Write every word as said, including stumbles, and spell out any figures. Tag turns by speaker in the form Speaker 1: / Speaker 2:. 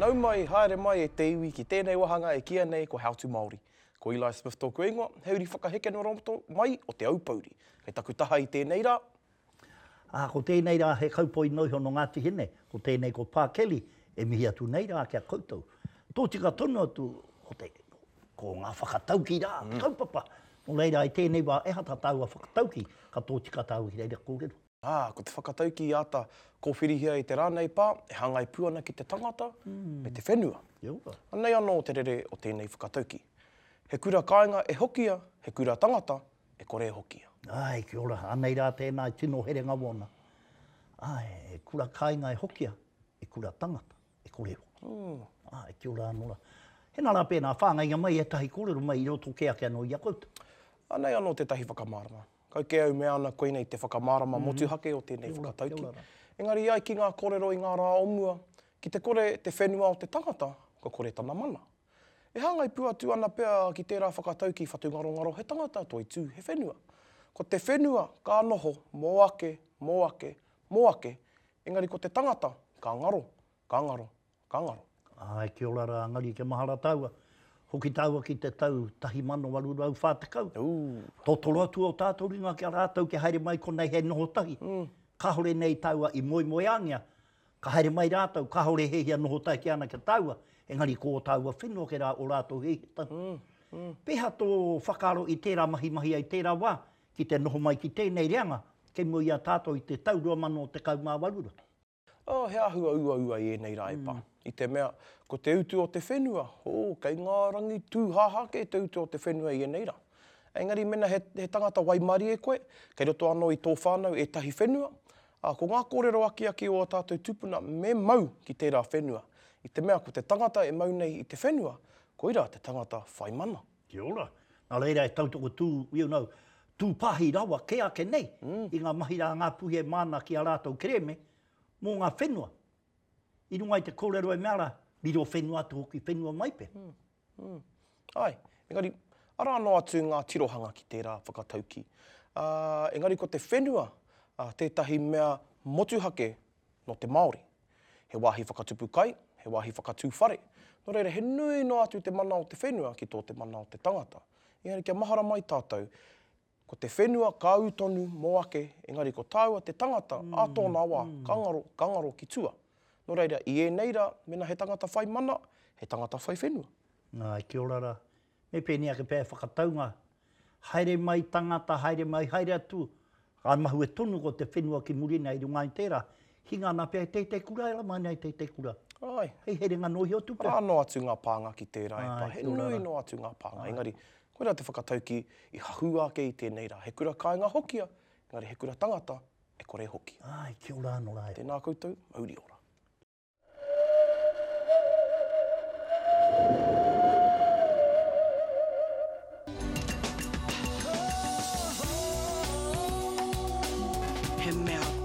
Speaker 1: Nau mai, haere mai e te iwi ki tēnei wāhanga e kīia nei ko How to Māori. Ko Eli Smith tōku ingoa, he uri whakaheke nō roto mai o Te Aupōuri. Kei taku taha i tēnei rā.
Speaker 2: Ā, ko tēnei rā he kaupoi noa iho nō Ngāti Hine, ko tēnei ko Pā Kelly, e mihi atu nei rā ki a koutou. Tōtika tonu atu ko te, ko ngā whakatauki rā, te kaupapa. Nō reira, i tēnei wā, ehara tā tāua whakatauki, ka tōtika tāua ki reira kōrero.
Speaker 1: Ā, ko te whakatauki i āta kōwhirihia i te rā nei pā, e hāngai pū ana ki te tangata me te whenua. Anei anō te rere o tēnei whakatauki. He kura kāinga e hokia, he kura tangata e kore e hokia.
Speaker 2: Āe, kia ora, anei rā tēnā e tino herenga wōna. Āe, he kura kāinga e hokia, he kura tangata e kore e hokia. Āe, kia ora anō rā. Hena rā pēnā, whāngaia mai ētahi kōrero mai i roto kē ake anō i a koutou.
Speaker 1: Anei anō tētahi whakamārama. Kau kē au mea ana koinei te whakamārama motuhake o tēnei whakatauki. Engari ai ki ngā kōrero i ngā rā o mua, ki te kore te whenua o te tangata, kua kore tana mana. E hāngai pū atu ana pea ki tērā whakatauki whatungarongaro he tangata toitū he whenua. Ko te whenua ka noho mō ake, mō ake, mō ake, engari ko te tangata ka ngaro, ka ngaro, ka ngaro.
Speaker 2: Āe, kia ora rā, engari kia mahara tāua. Hoki tāua ki te tau tahi mano waru rau whā tekau. Totoro atu o tātou ringa ki a rātou kia haere mai konei hei noho tahi. Kāore nei tāua i moemoeāngia. Ka haere mai rātou, kāore he hia noho tahi ki ana ki a tāua, engari ko ō tāua whenua kei rā o rātou he hia tahi. Pēhea tō whakaaro i tērā mahi mahi ai tērā wā ki te noho mai ki tēnei reanga kei mua i a tātou i te tau rua mano tekau mā waru rā?
Speaker 1: Oh, he āhua uaua i ēnei rā e pā. I te mea, ko te utu o te whenua, oh, kei ngā rangi tūhāhā kē te utu o te whenua i ēnei rā. Engari mena he, he tangata waimarie koe, kei roto anō i tō whānau ētahi whenua, ā, ko ngā kōrero akiaki o ā tātou tūpuna me mau ki tērā whenua. I te mea, ko te tangata e mau nei i te whenua, koirā te tangata whai mana.
Speaker 2: Kia ora. Nā reira e tautoko tū, you know, tūpāhi rawa kē ake nei i ngā mahi rā ngā puhi e māna ki a rātou kerēme mō ngā whenua. I runga i te kōrero e mea rā, riro whenua atu hoki whenua mai pea.
Speaker 1: Mm, mm. Ai, engari, arā noa atu ngā tirohanga ki tērā whakatauki. Uh, engari ko te whenua uh, tētahi mea motuhake nō te Māori. He wāhi whakatupu kai, he wāhi whakatū whare. Nō reira, he nui noa atu te mana o te whenua ki tō te mana o te tangata. Engari kia mahara mai tātou, ko te whenua ka ū tonu mō ake, engari ko tāua te tangata mm, ā tōna wā, mm. ka ngaro, ka ngaro ki tua. Nō reira, i ēnei rā, mena he tangata whai mana, he tangata whai whenua.
Speaker 2: Nā, kia ora rā. Me pēnei ake pea e whakataunga, haere mai tangata, haere mai, haere atu, ka mahue tonu ko te whenua ki muri nei i runga i tērā, hinga ana pea e tētei kura, e rama nei tētei kura.
Speaker 1: Ai.
Speaker 2: Hei herenga noa iho atu pea.
Speaker 1: Arā noa atu ngā pānga ki tērā e pā. He
Speaker 2: kia ora
Speaker 1: nui
Speaker 2: rā.
Speaker 1: noa atu ngā pānga, engari, koirā te whakatauki i hahū ake i tēnei rā. He kura kāinga hokia, engari he kura tangata e kore hoki.
Speaker 2: Ai, kia ora anō rā e.
Speaker 1: Tēnā koutou, mauri ora.
Speaker 3: He mea